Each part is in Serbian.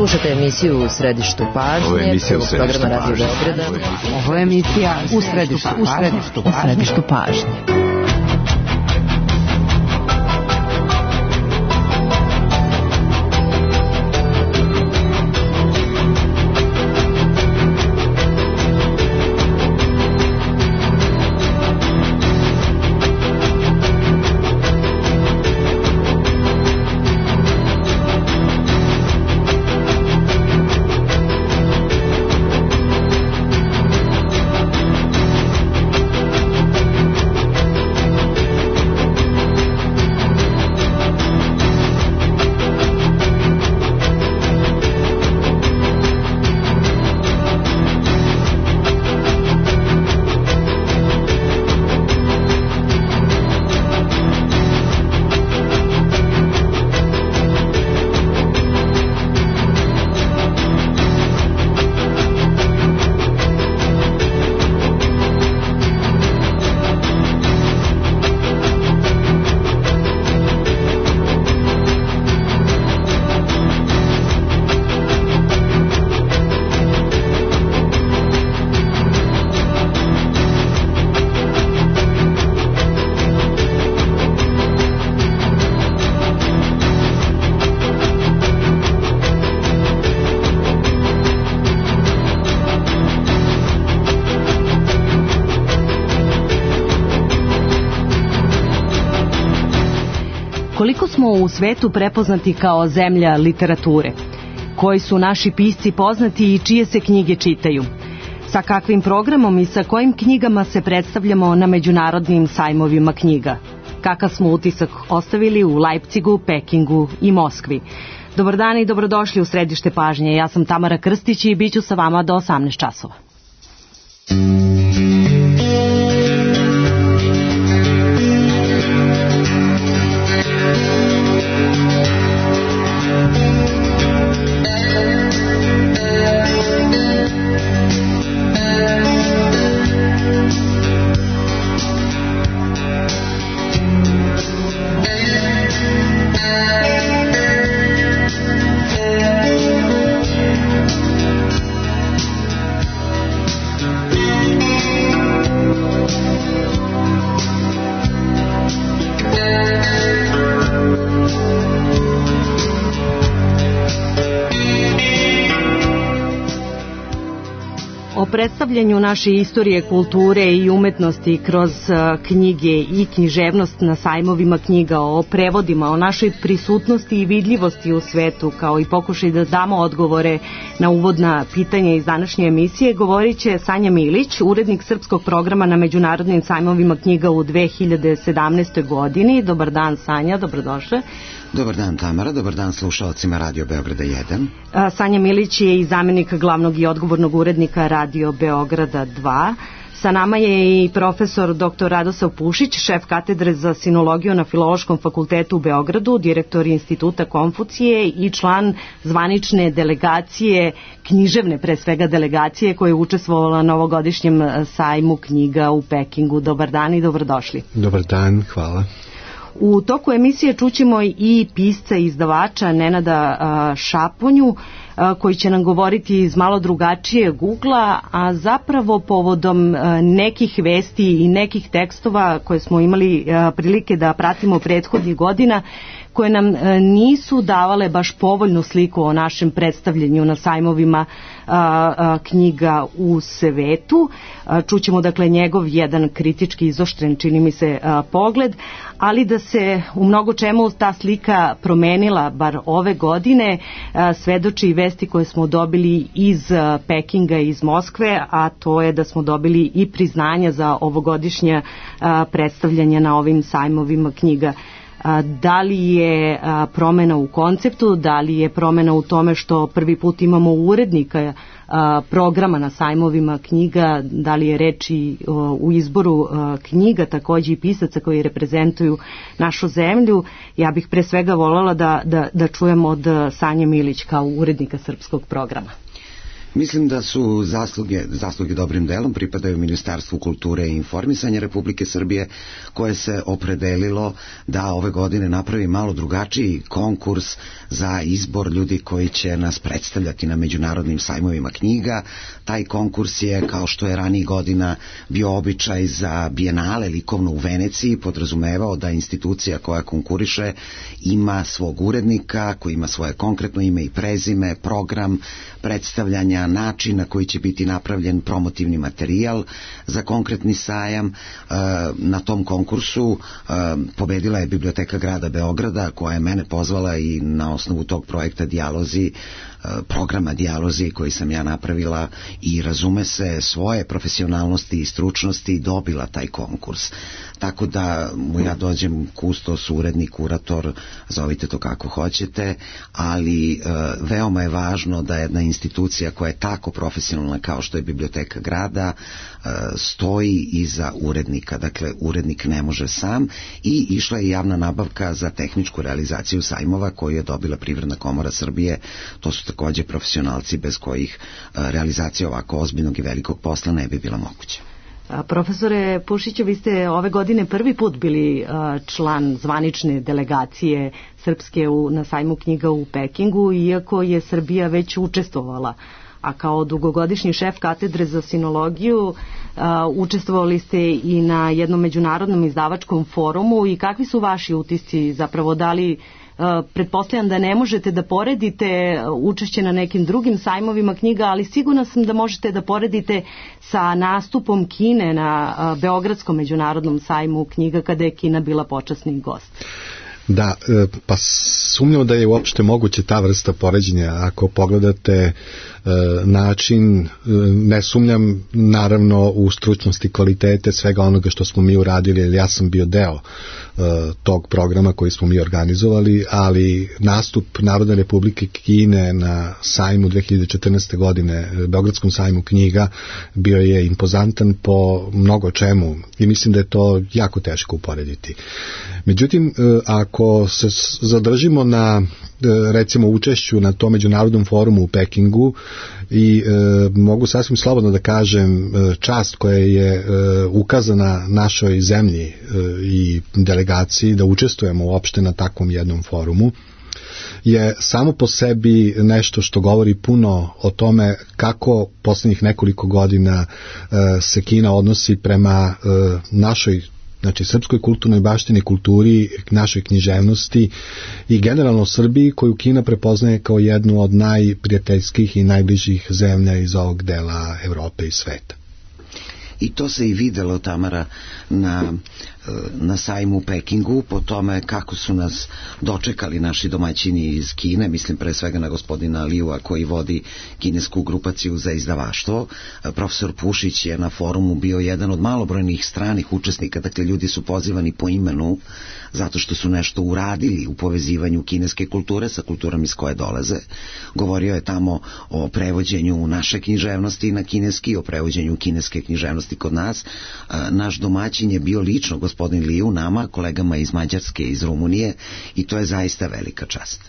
Slušate emisiju U središtu pažnje. Ovo je emisija U središtu pažnje. Ovo je emisija U središtu pažnje. Koliko smo u svetu prepoznati kao zemlja literature? Koji su naši pisci poznati i čije se knjige čitaju? Sa kakvim programom i sa kojim knjigama se predstavljamo na međunarodnim sajmovima knjiga? Kakav smo utisak ostavili u Leipzigu, Pekingu i Moskvi? Dobar dan i dobrodošli u središte pažnje. Ja sam Tamara Krstić i bit ću sa vama do 18 časova. O predstavljanju naše istorije, kulture i umetnosti kroz knjige i književnost na sajmovima knjiga, o prevodima, o našoj prisutnosti i vidljivosti u svetu, kao i pokušaj da damo odgovore na uvodna pitanja iz današnje emisije, govorit će Sanja Milić, urednik srpskog programa na međunarodnim sajmovima knjiga u 2017. godini. Dobar dan, Sanja, dobrodošla. Dobar dan, Tamara, dobar dan slušalcima Radio Beograda 1. Sanja Milić je i zamjenik glavnog i odgovornog urednika Radio Beograda 2. Sa nama je i profesor dr. Radosav Pušić, šef katedre za sinologiju na Filološkom fakultetu u Beogradu, direktor Instituta Konfucije i član zvanične delegacije, književne pre svega delegacije koja je učestvovala na ovogodišnjem sajmu knjiga u Pekingu. Dobar dan i dobrodošli. Dobar dan, hvala. U toku emisije čućemo i pisca i izdavača Nenada Šaponju, koji će nam govoriti iz malo drugačijeg ugla, a zapravo povodom nekih vesti i nekih tekstova koje smo imali prilike da pratimo prethodnih godina, koje nam nisu davale baš povoljnu sliku o našem predstavljanju na sajmovima knjiga u svetu. Čućemo dakle njegov jedan kritički izoštren, čini mi se, pogled, ali da se u mnogo čemu ta slika promenila, bar ove godine, svedoči i vesti koje smo dobili iz Pekinga i iz Moskve, a to je da smo dobili i priznanja za ovogodišnje predstavljanje na ovim sajmovima knjiga. Da li je promena u konceptu, da li je promena u tome što prvi put imamo urednika programa na sajmovima knjiga, da li je reč i u izboru knjiga, takođe i pisaca koji reprezentuju našu zemlju. Ja bih pre svega voljela da čujem od Sanje Milić kao urednika srpskog programa. Mislim da su zasluge dobrim delom pripadaju Ministarstvu kulture i informisanja Republike Srbije, koje se opredelilo da ove godine napravi malo drugačiji konkurs za izbor ljudi koji će nas predstavljati na međunarodnim sajmovima knjiga. Taj konkurs je, kao što je ranijih godina bio običaj za Bijenale likovno u Veneciji, podrazumevao da institucija koja konkuriše ima svog urednika, koji ima svoje konkretno ime i prezime, program predstavljanja, način na koji će biti napravljen promotivni materijal za konkretni sajam. Na tom konkursu pobedila je Biblioteka grada Beograda, koja je mene pozvala i na osnovu tog projekta Dijalozi, programa Dijalozi koji sam ja napravila i razume se svoje profesionalnosti i stručnosti dobila taj konkurs. Tako da mu ja dođem kustos, urednik, kurator, zovite to kako hoćete, ali veoma je važno da jedna institucija koja je tako profesionalna kao što je Biblioteka grada stoji iza urednika. Dakle, urednik ne može sam, i išla je javna nabavka za tehničku realizaciju sajmova koju je dobila Privredna komora Srbije. To su takođe profesionalci bez kojih realizacija ovako ozbiljnog i velikog posla ne bi bila moguća. Profesore Pušiću, vi ste ove godine prvi put bili član zvanične delegacije Srpske na sajmu knjiga u Pekingu, iako je Srbija već učestvovala. A kao dugogodišnji šef katedre za sinologiju učestvovali ste i na jednom međunarodnom izdavačkom forumu. I kakvi su vaši utisci, zapravo da li pretpostavljam da ne možete da poredite učešće na nekim drugim sajmovima knjiga, ali sigurna sam da možete da poredite sa nastupom Kine na Beogradskom međunarodnom sajmu knjiga kada je Kina bila počasni gost. Da, pa sumnjam da je uopšte moguće ta vrsta poređenja. Ako pogledate način, ne sumnjam naravno u stručnosti, kvalitete svega onoga što smo mi uradili, jer ja sam bio deo tog programa koji smo mi organizovali, ali nastup Narodne Republike Kine na sajmu 2014. godine, Beogradskom sajmu knjiga, bio je impozantan po mnogo čemu i mislim da je to jako teško uporediti. Međutim, ako se zadržimo na recimo učešću na tom međunarodnom forumu u Pekingu, i mogu sasvim slobodno da kažem, čast koja je ukazana našoj zemlji i delegaciji da učestvujemo uopšte na takvom jednom forumu, je samo po sebi nešto što govori puno o tome kako poslednjih nekoliko godina se Kina odnosi prema našoj, znači srpskoj kulturnoj baštini, kulturi, našoj književnosti i generalno Srbiji, koju Kina prepoznaje kao jednu od najprijateljskih i najbližih zemlja iz ovog dela Evrope i sveta. I to se i videlo, Tamara, na sajmu u Pekingu, po tome kako su nas dočekali naši domaćini iz Kine, mislim pre svega na gospodina Liua koji vodi kinesku grupaciju za izdavaštvo. Profesor Pušić je na forumu bio jedan od malobrojnih stranih učesnika, dakle ljudi su pozivani po imenu zato što su nešto uradili u povezivanju kineske kulture sa kulturom iz koje dolaze. Govorio je tamo o prevođenju naše književnosti na kineski, o prevođenju kineske književnosti kod nas. Naš domaćin je bio lično gospodin Liu nama, kolegama iz Mađarske i iz Rumunije, i to je zaista velika čast.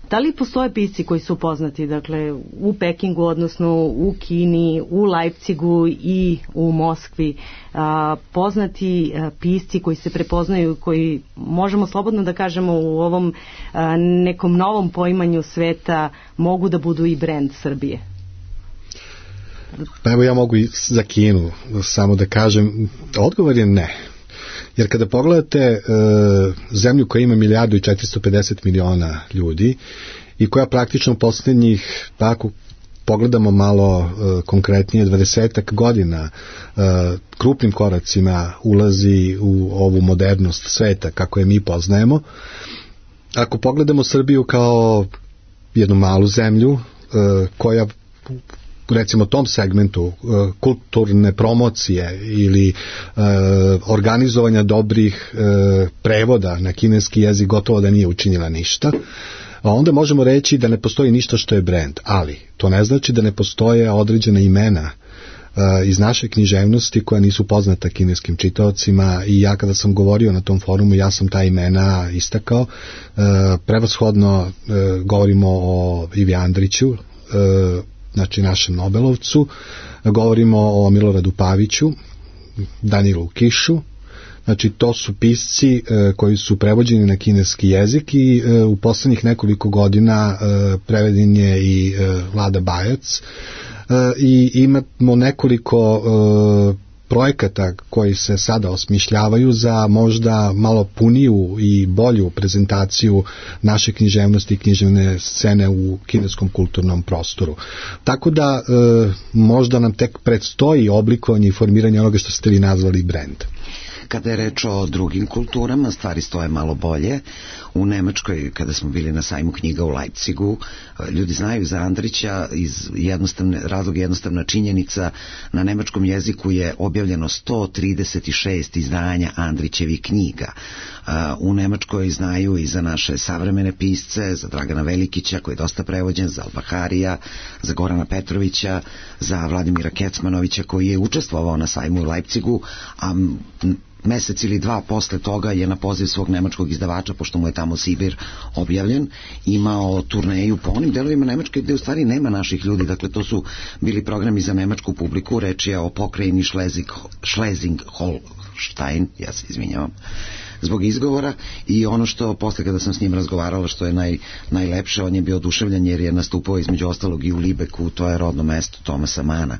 Da li postoje pisci koji su poznati, dakle, u Pekingu, odnosno u Kini, u Leipzigu i u Moskvi, poznati pisci koji se prepoznaju, koji možemo slobodno da kažemo u ovom nekom novom poimanju sveta mogu da budu i brend Srbije? Pa evo, ja mogu i za Kinu samo da kažem, odgovor je ne. Jer kada pogledate zemlju koja ima 1.450.000.000 ljudi i koja praktično posljednjih, tako pogledamo malo konkretnije, 20 godina krupnim koracima ulazi u ovu modernost sveta kako je mi poznajemo. Ako pogledamo Srbiju kao jednu malu zemlju koja recimo tom segmentu kulturne promocije ili organizovanja dobrih prevoda na kineski jezik gotovo da nije učinila ništa, a onda možemo reći da ne postoji ništa što je brend, ali to ne znači da ne postoje određena imena iz naše književnosti koja nisu poznata kineskim čitaocima, i ja kada sam govorio na tom forumu, ja sam ta imena istakao. Prevashodno govorimo o Ivi Andriću, znači našem Nobelovcu, govorimo o Miloradu Paviću, Danilu Kišu. Znači to su pisci koji su prevođeni na kineski jezik i u poslednjih nekoliko godina preveden je i Vlada Bajac i imamo nekoliko projekata koji se sada osmišljavaju za možda malo puniju i bolju prezentaciju naše književnosti i književne scene u kineskom kulturnom prostoru. Tako da možda nam tek predstoji oblikovanje i formiranje onoga što ste vi nazvali brand. Kada je reč o drugim kulturama, stvari stoje malo bolje. U Nemačkoj, kada smo bili na sajmu knjiga u Leipzigu, ljudi znaju za Andrića iz jednostavna činjenica, na nemačkom jeziku je objavljeno 136 izdanja Andrićevih knjiga. U Nemačkoj znaju i za naše savremene pisce, za Dragana Velikića, koji je dosta prevođen, za Albaharija, za Gorana Petrovića, za Vladimira Kecmanovića, koji je učestvovao na sajmu u Leipzigu, a mesec ili dva posle toga je na poziv svog nemačkog izdavača, pošto mu je tamo Sibir objavljen, imao turneju po onim delovima Nemačke gde u stvari nema naših ljudi, dakle to su bili programi za nemačku publiku, reč je o pokrajini Schleswig-Holstein, ja se izvinjavam zbog izgovora, i ono što posle kada sam s njim razgovarala što je najlepše, on je bio oduševljen jer je nastupao između ostalog i u Libeku, to je rodno mesto Tomasa Mana.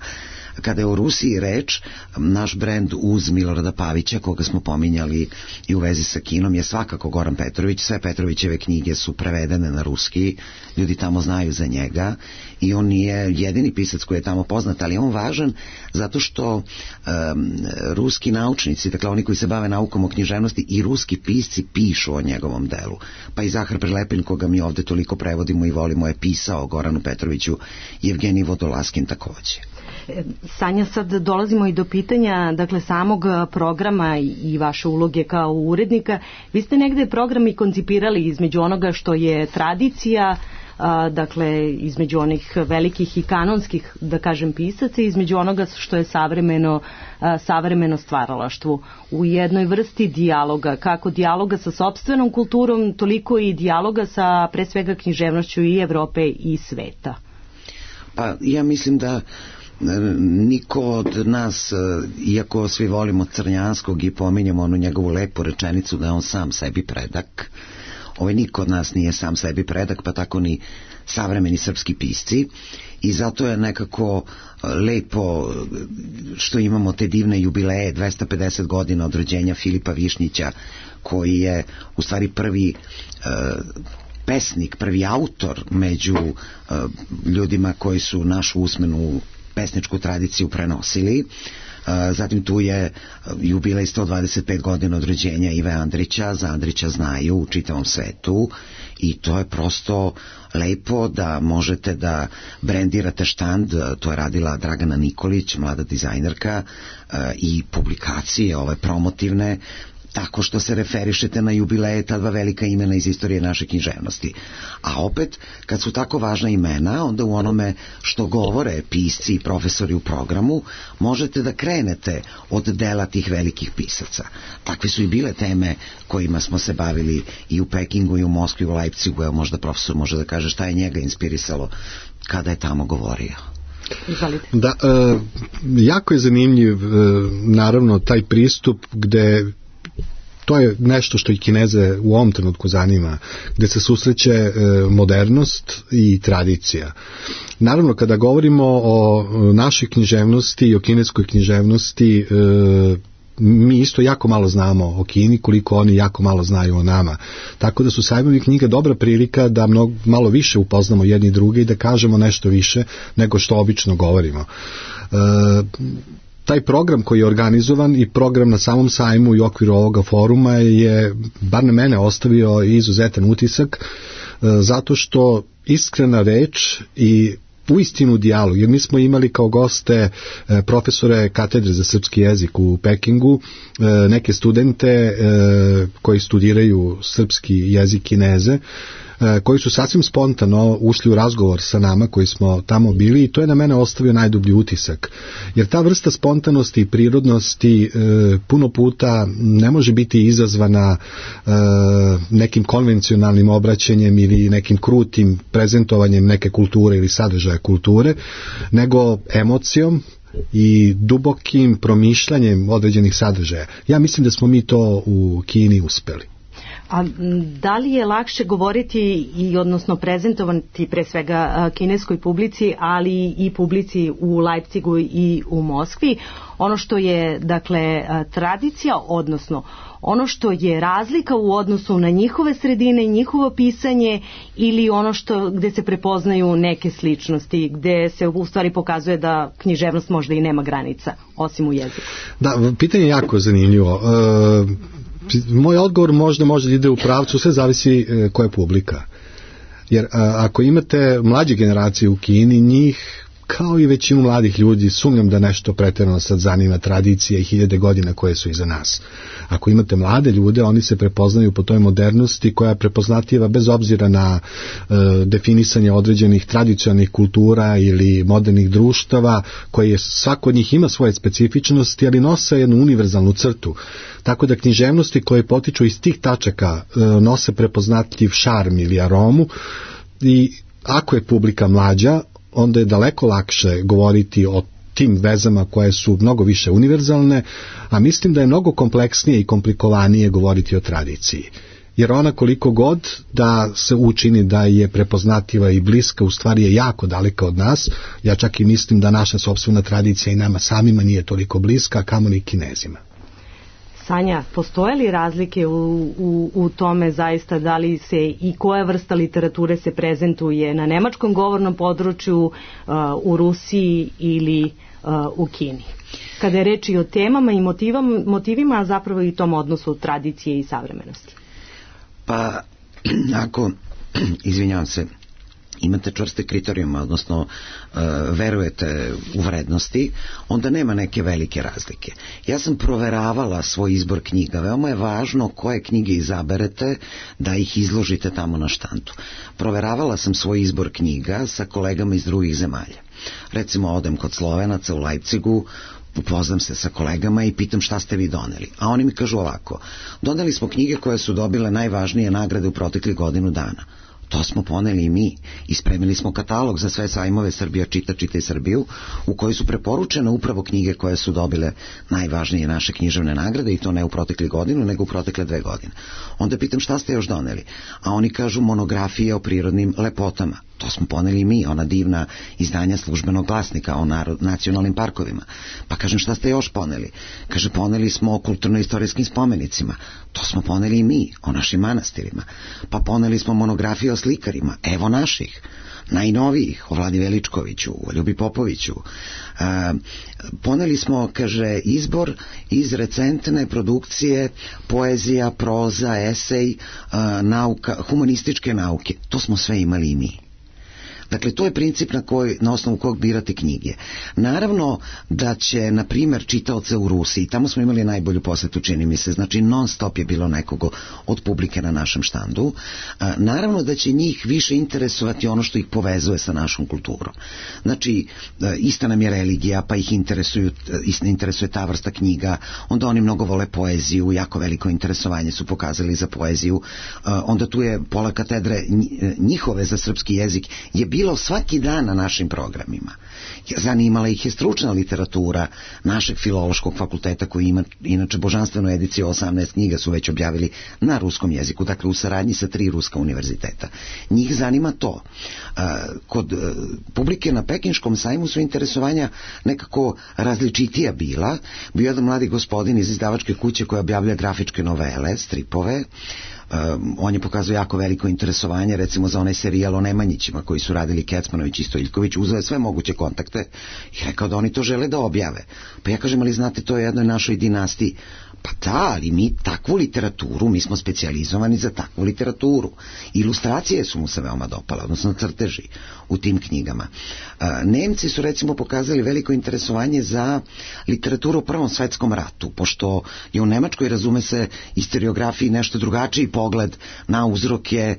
Kada je o Rusiji reč, naš brend uz Milorada Pavića, koga smo pominjali i u vezi sa kinom, je svakako Goran Petrović. Sve Petrovićeve knjige su prevedene na ruski, ljudi tamo znaju za njega i on nije jedini pisac koji je tamo poznat, ali je on važan zato što ruski naučnici, dakle oni koji se bave naukom o književnosti, i ruski pisci pišu o njegovom delu. Pa i Zahar Prelepin, koga mi ovde toliko prevodimo i volimo, je pisao o Goranu Petroviću, Evgenij Vodolaskin takođe. Sanja, sad dolazimo i do pitanja, dakle, samog programa i vaše uloge kao urednika. Vi ste negde program i koncipirali između onoga što je tradicija, dakle, između onih velikih i kanonskih, da kažem, pisaca, između onoga što je savremeno stvaralaštvo u jednoj vrsti dijaloga, kako dijaloga sa sopstvenom kulturom, toliko i dijaloga sa, pre svega, književnošću i Evrope i sveta. Pa ja mislim da niko od nas, iako svi volimo Crnjanskog i pominjamo onu njegovu lepu rečenicu da je on sam sebi predak, niko od nas nije sam sebi predak, pa tako ni savremeni srpski pisci, i zato je nekako lepo što imamo te divne jubileje, 250 godina od rođenja Filipa Višnjića, koji je u stvari prvi pesnik, prvi autor među ljudima koji su našu usmenu pesničku tradiciju prenosili. Zatim tu je jubilej 125 godina od rođenja Ive Andrića, za Andrića znaju u čitavom svetu, i to je prosto lepo da možete da brendirate štand, to je radila Dragana Nikolić, mlada dizajnerka, i publikacije ove promotivne, tako što se referišete na jubileje ta dva velika imena iz istorije naše književnosti. A opet, kad su tako važna imena, onda u onome što govore pisci i profesori u programu, možete da krenete od dela tih velikih pisaca. Takve su i bile teme kojima smo se bavili i u Pekingu, i u Moskvi, i u Leipzigu. Evo, možda profesor može da kaže šta je njega inspirisalo kada je tamo govorio. Da, jako je zanimljiv naravno taj pristup gde to je nešto što i Kineze u ovom trenutku zanima, gde se susreće modernost i tradicija. Naravno, kada govorimo o našoj književnosti i o kineskoj književnosti, mi isto jako malo znamo o Kini, koliko oni jako malo znaju o nama. Tako da su sajmovi knjiga dobra prilika da malo više upoznamo jedni druge i da kažemo nešto više nego što obično govorimo. Taj program koji je organizovan i program na samom sajmu i u okviru ovoga foruma je, bar na mene, ostavio izuzetan utisak, zato što iskrena reč i uistinu dijalog, jer mi smo imali kao goste profesore katedre za srpski jezik u Pekingu, neke studente koji studiraju srpski jezik Kineze, koji su sasvim spontano ušli u razgovor sa nama koji smo tamo bili i to je na mene ostavio najdublji utisak. Jer ta vrsta spontanosti i prirodnosti puno puta ne može biti izazvana nekim konvencionalnim obraćanjem ili nekim krutim prezentovanjem neke kulture ili sadržaja kulture, nego emocijom i dubokim promišljanjem određenih sadržaja. Ja mislim da smo mi to u Kini uspeli. A da li je lakše govoriti i odnosno prezentovati pre svega kineskoj publici, ali i publici u Leipzigu i u Moskvi, ono što je dakle tradicija, odnosno ono što je razlika u odnosu na njihove sredine, njihovo pisanje ili ono što gde se prepoznaju neke sličnosti, gde se u stvari pokazuje da književnost možda i nema granica, osim u jeziku? Da, pitanje je jako zanimljivo. Moj odgovor možda može da ide u pravcu, sve zavisi koja je publika. Jer ako imate mlađe generacije u Kini, njih kao i većinu mladih ljudi sumnjam da nešto pretjerano sad zanima tradicija i 1000 godina koje su iza nas. Ako imate mlade ljude, oni se prepoznaju po toj modernosti koja je prepoznatljiva bez obzira na definisanje određenih tradicionalnih kultura ili modernih društava, koje svako od njih ima svoje specifičnosti, ali nose jednu univerzalnu crtu. Tako da književnosti koje potiču iz tih tačaka nose prepoznatljiv šarm ili aromu i ako je publika mlađa, onda je daleko lakše govoriti o tim vezama koje su mnogo više univerzalne, a mislim da je mnogo kompleksnije i komplikovanije govoriti o tradiciji. Jer ona koliko god da se učini da je prepoznatljiva i bliska, u stvari je jako daleka od nas. Ja čak i mislim da naša sopstvena tradicija i nama samima nije toliko bliska, a kamoli Kinezima. Sanja, postoje li razlike u tome zaista da li se i koja vrsta literature se prezentuje na nemačkom govornom području, u Rusiji ili u Kini? Kada je reč i o temama i motivima, a zapravo i tom odnosu tradicije i savremenosti. Pa, ako, izvinjavam se, imate čvrste kriterijume, odnosno verujete u vrednosti, onda nema neke velike razlike. Ja sam proveravala svoj izbor knjiga. Veoma je važno koje knjige izaberete da ih izložite tamo na štandu. Proveravala sam svoj izbor knjiga sa kolegama iz drugih zemalja. Recimo, odem kod Slovenaca u Leipzigu, upoznam se sa kolegama i pitam šta ste vi doneli. A oni mi kažu ovako: doneli smo knjige koje su dobile najvažnije nagrade u proteklih godinu dana. To smo poneli i mi. Ispremili smo katalog za sve sajmove Srbija čita, čitaj Srbiju, u kojoj su preporučene upravo knjige koje su dobile najvažnije naše književne nagrade, i to ne u proteklih godinu, nego u protekle 2 godine. Onda pitam šta ste još doneli. A oni kažu monografije o prirodnim lepotama. To smo poneli i mi, ona divna izdanja Službenog glasnika o nacionalnim parkovima. Pa kažem, šta ste još poneli? Kaže, poneli smo o kulturno-istorijskim spomenicima. To smo poneli i mi, o našim manastirima. Pa poneli smo monografije o slikarima, evo naših, najnovijih, o Vladi Veličkoviću, o Ljubi Popoviću. Poneli smo, kaže, izbor iz recentne produkcije poezija, proza, esej, nauka, humanističke nauke. To smo sve imali i mi. Dakle, to je princip na osnovu kojeg birate knjige. Naravno da će, na primjer, čitaoce u Rusiji, tamo smo imali najbolju posetu, čini mi se, znači non stop je bilo nekoga od publike na našem štandu. Naravno da će njih više interesovati ono što ih povezuje sa našom kulturom. Znači, ista nam je religija, pa ih interesuje ta vrsta knjiga, onda oni mnogo vole poeziju, jako veliko interesovanje su pokazali za poeziju, onda tu je pola katedre njihove za srpski jezik je bilo svaki dan na našim programima. Zanimala ih je stručna literatura našeg filološkog fakulteta, koji ima inače božanstvenu ediciju, 18 knjiga su već objavili na ruskom jeziku, dakle u saradnji sa 3 ruska univerziteta. Njih zanima to. Kod publike na Pekinškom sajmu su interesovanja nekako različitija bila. Bio jedan mladi gospodin iz izdavačke kuće koja objavlja grafičke novele, stripove. On je pokazao jako veliko interesovanje recimo za onaj serijal o Nemanjićima koji su radili Kecmanović i Stojiljković, uzeo je sve moguće kontakte i rekao da oni to žele da objave. Pa ja kažem, ali znate, to je jednoj našoj dinastiji. Pa da, ali mi takvu literaturu, mi smo specijalizovani za takvu literaturu. Ilustracije su mu se veoma dopale, odnosno crteži u tim knjigama. Nemci su recimo pokazali veliko interesovanje za literaturu o Prvom svetskom ratu, pošto je u Nemačkoj, razume se, istoriografiji nešto drugačiji pogled na uzroke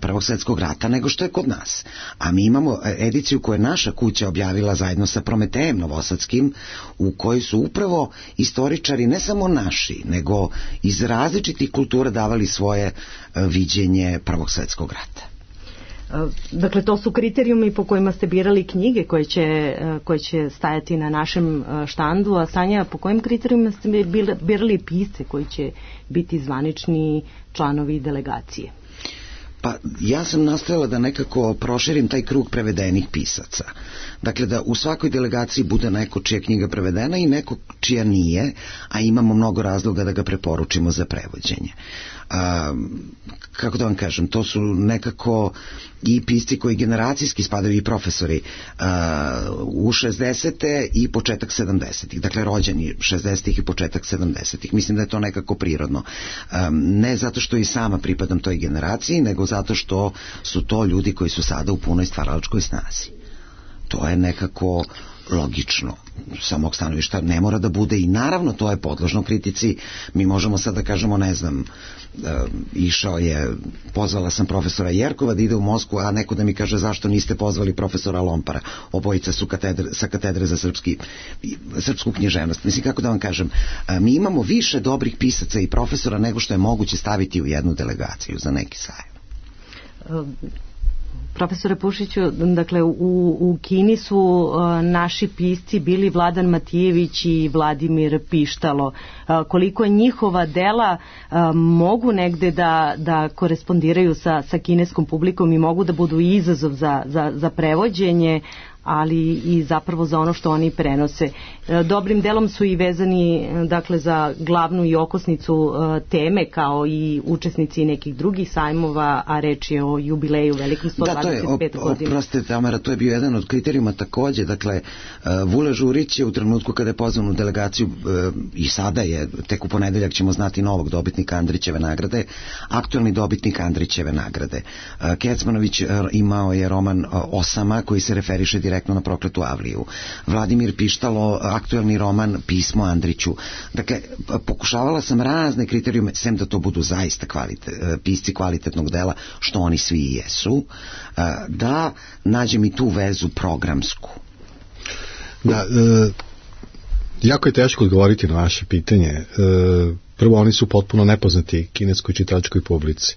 Prvog svjetskog rata nego što je kod nas. A mi imamo ediciju koju je naša kuća objavila zajedno sa Prometejem Novosadskim, u kojoj su upravo istoričari ne samo naši, nego iz različitih kultura davali svoje viđenje Prvog svjetskog rata. Dakle, to su kriterijumi po kojima ste birali knjige koje će stajati na našem štandu, a Sanja, po kojim kriterijuma ste birali pisce koji će biti zvanični članovi delegacije? Pa ja sam nastojala da nekako proširim taj krug prevedenih pisaca. Dakle, da u svakoj delegaciji bude neko čija knjiga prevedena i neko čija nije, a imamo mnogo razloga da ga preporučimo za prevođenje. Kako da vam kažem, to su nekako i pisci koji generacijski spadaju i profesori u 60. i početak 70. Dakle, rođeni 60. i početak 70. Mislim da je to nekako prirodno. Ne zato što i sama pripadam toj generaciji, nego zato što su to ljudi koji su sada u punoj stvaralačkoj snazi. To je nekako logično. Sa mog stanovišta ne mora da bude i naravno to je podložno kritici. Mi možemo sad da kažemo, ne znam, pozvala sam profesora Jerkova da ide u Moskvu, a neko da mi kaže zašto niste pozvali profesora Lompara. Obojica su sa katedre za srpsku književnost. Mislim, kako da vam kažem, mi imamo više dobrih pisaca i profesora nego što je moguće staviti u jednu delegaciju za neki sajam. Profesore Pušiću, dakle u Kini su naši pisci bili Vladan Matijević i Vladimir Pištalo. Koliko njihova dela mogu negde da korespondiraju sa kineskom publikom i mogu da budu izazov za prevođenje, ali i zapravo za ono što oni prenose. Dobrim delom su i vezani, dakle, za glavnu i okosnicu teme, kao i učesnici nekih drugih sajmova, a reč je o jubileju velikom 125 godina. Oprostite, Tamara, to je bio jedan od kriterijuma takođe. Dakle, Vule Žurić je u trenutku kada je pozvan u delegaciju, i sada je, tek u ponedeljak ćemo znati novog dobitnika Andrićeve nagrade, aktuelni dobitnik Andrićeve nagrade. Kecmanović imao je roman Osama, koji se referiše direktno na Prokletu Avliju. Vladimir Pištalo, aktuelni roman Pismo Andriću. Dakle, pokušavala sam razne kriterijume, sem da to budu zaista pisci kvalitetnog dela, što oni svi i jesu, da nađem i tu vezu programsku. Da, jako je teško odgovoriti na vaše pitanje. Prvo, oni su potpuno nepoznati kineskoj čitačkoj publici.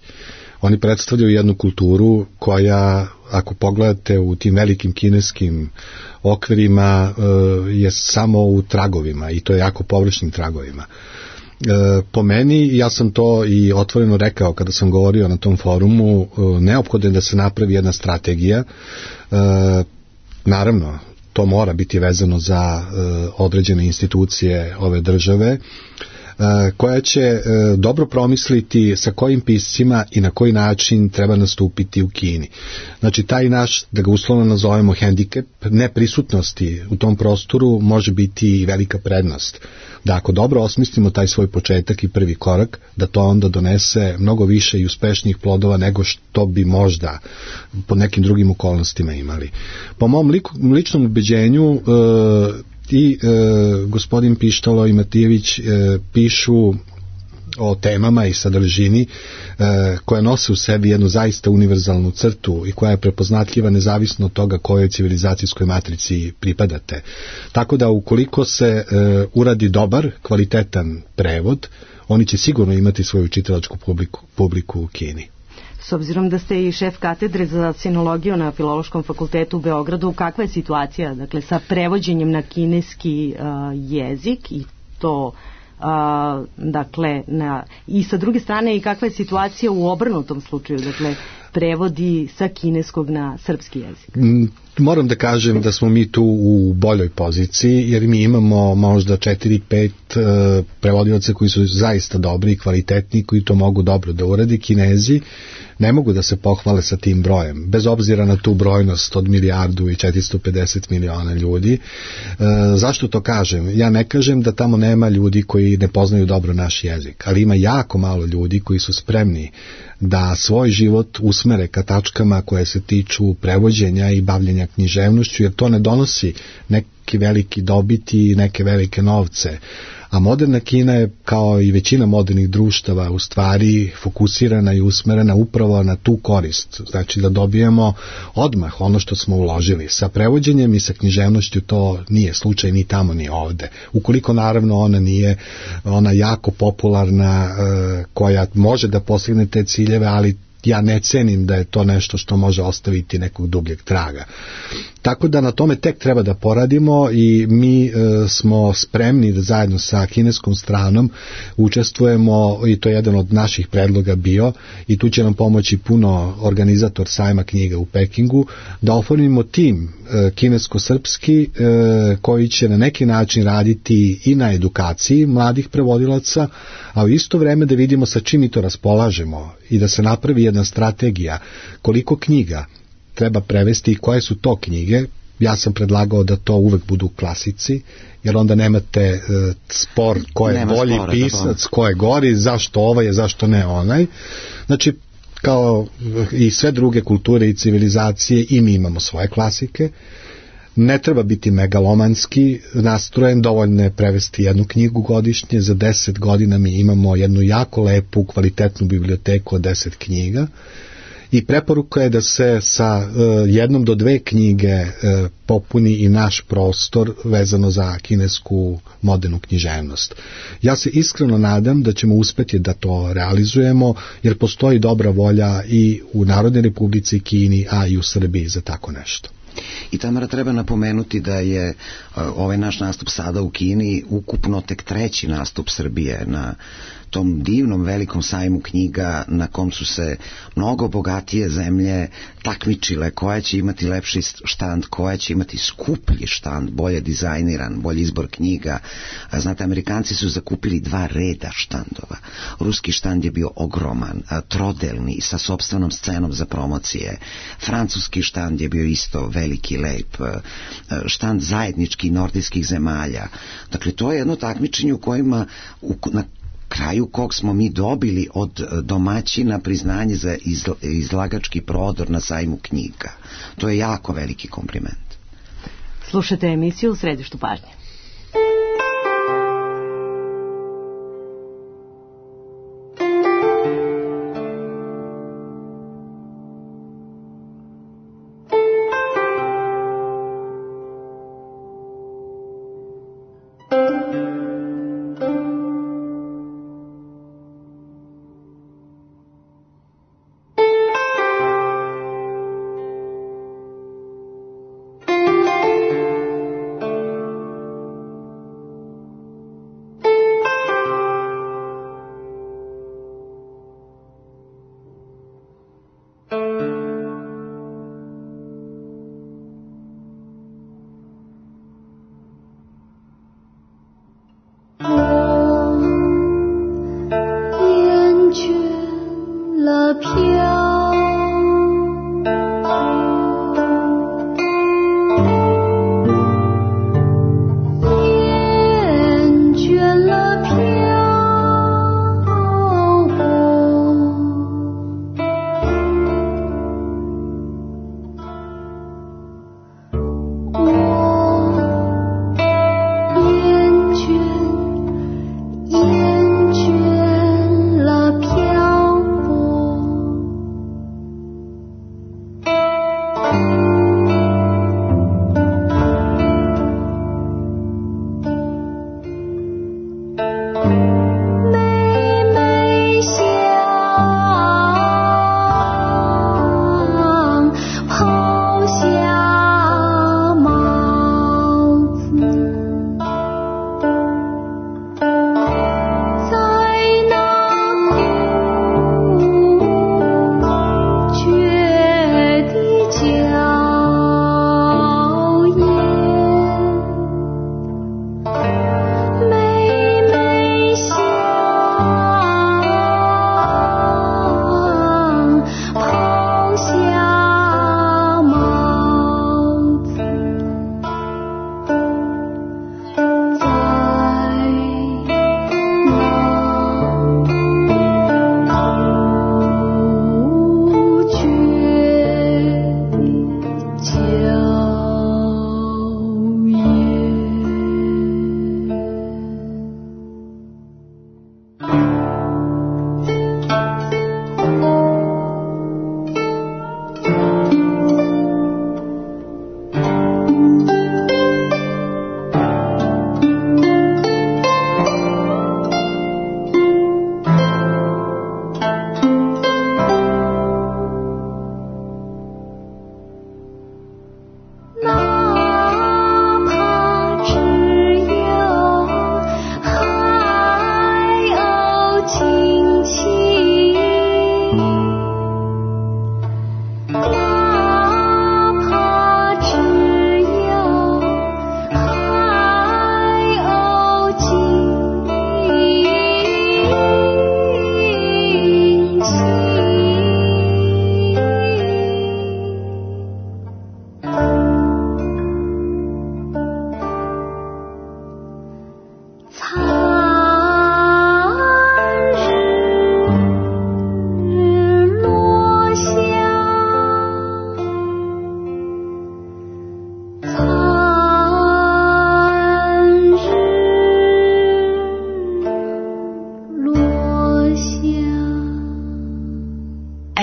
Oni predstavljaju jednu kulturu koja, ako pogledate u tim velikim kineskim okvirima, je samo u tragovima, i to je jako površnim tragovima. Po meni, ja sam to i otvoreno rekao kada sam govorio na tom forumu, neophodno je da se napravi jedna strategija. Naravno, to mora biti vezano za određene institucije ove države, koja će dobro promisliti sa kojim piscima i na koji način treba nastupiti u Kini. Znači, taj naš, da ga uslovno nazovemo hendikep, neprisutnosti u tom prostoru može biti i velika prednost. Da ako dobro osmislimo taj svoj početak i prvi korak, da to onda donese mnogo više i uspešnijih plodova nego što bi možda pod nekim drugim okolnostima imali. Po mom ličnom ubeđenju, i gospodin Pištalo i Matijević pišu o temama i sadržini koja nose u sebi jednu zaista univerzalnu crtu i koja je prepoznatljiva nezavisno od toga kojoj civilizacijskoj matrici pripadate. Tako da ukoliko se uradi dobar, kvalitetan prevod, oni će sigurno imati svoju čitalačku publiku u Kini. S obzirom da ste i šef katedre za sinologiju na Filološkom fakultetu u Beogradu, kakva je situacija, dakle, sa prevođenjem na kineski jezik i to dakle, i sa druge strane, i kakva je situacija u obrnutom slučaju, dakle, prevodi sa kineskog na srpski jezik? Moram da kažem da smo mi tu u boljoj poziciji, jer mi imamo možda 4-5 prevodilaca koji su zaista dobri i kvalitetni, koji to mogu dobro da uradi. Kinezi ne mogu da se pohvale sa tim brojem, bez obzira na tu brojnost od 1.450 miliona ljudi. Zašto to kažem? Ja ne kažem da tamo nema ljudi koji ne poznaju dobro naš jezik, ali ima jako malo ljudi koji su spremni da svoj život usmere ka tačkama koje se tiču prevođenja i bavljenja književnošću, jer to ne donosi neki veliki dobiti i neke velike novce, A moderna Kina je, kao i većina modernih društava, u stvari fokusirana i usmerena upravo na tu korist. Znači da dobijemo odmah ono što smo uložili. Sa prevođenjem i sa književnošću to nije slučaj ni tamo ni ovde. Ukoliko naravno ona nije ona jako popularna, koja može da postigne te ciljeve, ali ja ne cenim da je to nešto što može ostaviti nekog dubljeg traga. Tako da na tome tek treba da poradimo i mi smo spremni da zajedno sa kineskom stranom učestvujemo, i to je jedan od naših predloga bio, i tu će nam pomoći puno organizator sajma knjiga u Pekingu, da oformimo tim kinesko-srpski koji će na neki način raditi i na edukaciji mladih prevodilaca, a u isto vreme da vidimo sa čim mi to raspolažemo i da se napravi jedna strategija koliko knjiga treba prevesti i koje su to knjige. Ja sam predlagao da to uvek budu klasici, jer onda nemate spor ko je bolji pisac, ko je gori, zašto ovaj je, zašto ne onaj. Znači, kao i sve druge kulture i civilizacije, i mi imamo svoje klasike. Ne treba biti megalomanski nastrojen, dovoljno je prevesti jednu knjigu godišnje. Za 10 godina mi imamo jednu jako lepu, kvalitetnu biblioteku od 10 knjiga. I preporuka je da se sa jednom do dve knjige popuni i naš prostor vezano za kinesku modernu književnost. Ja se iskreno nadam da ćemo uspeti da to realizujemo, jer postoji dobra volja i u Narodnoj Republici Kini, a i u Srbiji za tako nešto. I Tamara, treba napomenuti da je ovaj naš nastup sada u Kini ukupno tek 3. nastup Srbije na tom divnom velikom sajmu knjiga na kom su se mnogo bogatije zemlje takmičile koja će imati lepši štand, koja će imati skuplji štand, bolje dizajniran, bolji izbor knjiga. Znate, Amerikanci su zakupili 2 reda štandova. Ruski štand je bio ogroman, trodelni, sa sopstvenom scenom za promocije. Francuski štand je bio isto veliki, lep. Štand zajednički nordijskih zemalja. Dakle, to je jedno takmičenje u kojima na kraju kog smo mi dobili od domaćina priznanje za izlagački prodor na sajmu knjiga. To je jako veliki kompliment. Slušajte emisiju U središtu pažnje.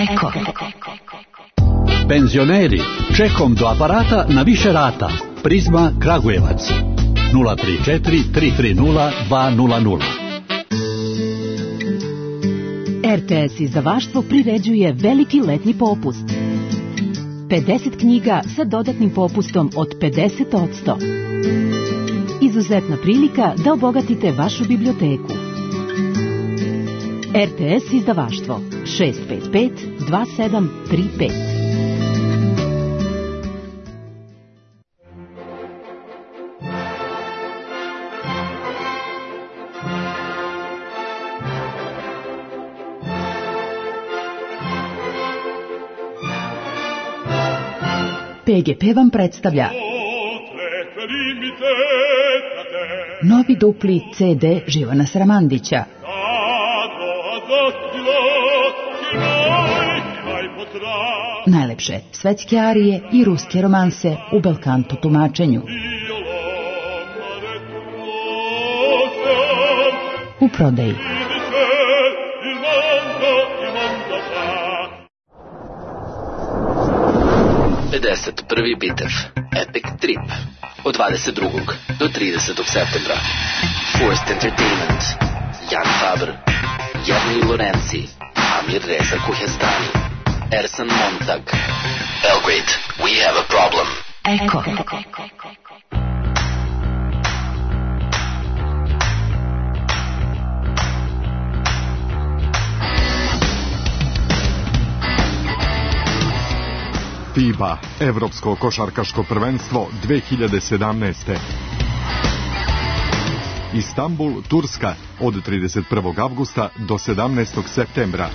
Eko. Penzioneri, čekom do aparata na više rata. Prizma Kragujevac 034 330 200. RTS izdavaštvo priređuje veliki letnji popust. 50 knjiga sa dodatnim popustom od 50%. Izuzetna prilika da obogatite vašu biblioteku. RTS izdavaštvo 655 2735. PGP vam predstavlja novi dupli CD Živana Sramandića. Najlepše svetske arije i ruske romanse u belkanto tumačenju. U prodaji. Prvi bitev Epic Trip od 22. do 30. septembra. Forced Entertainment, Jan Faber, Jernej Lorenzi, Amir Reza Kuhestani, Ersan Montag. Belgrade, we have a problem. Eko. FIBA, Evropsko košarkaško prvenstvo 2017. Istanbul, Turska, od 31. avgusta do 17. septembra.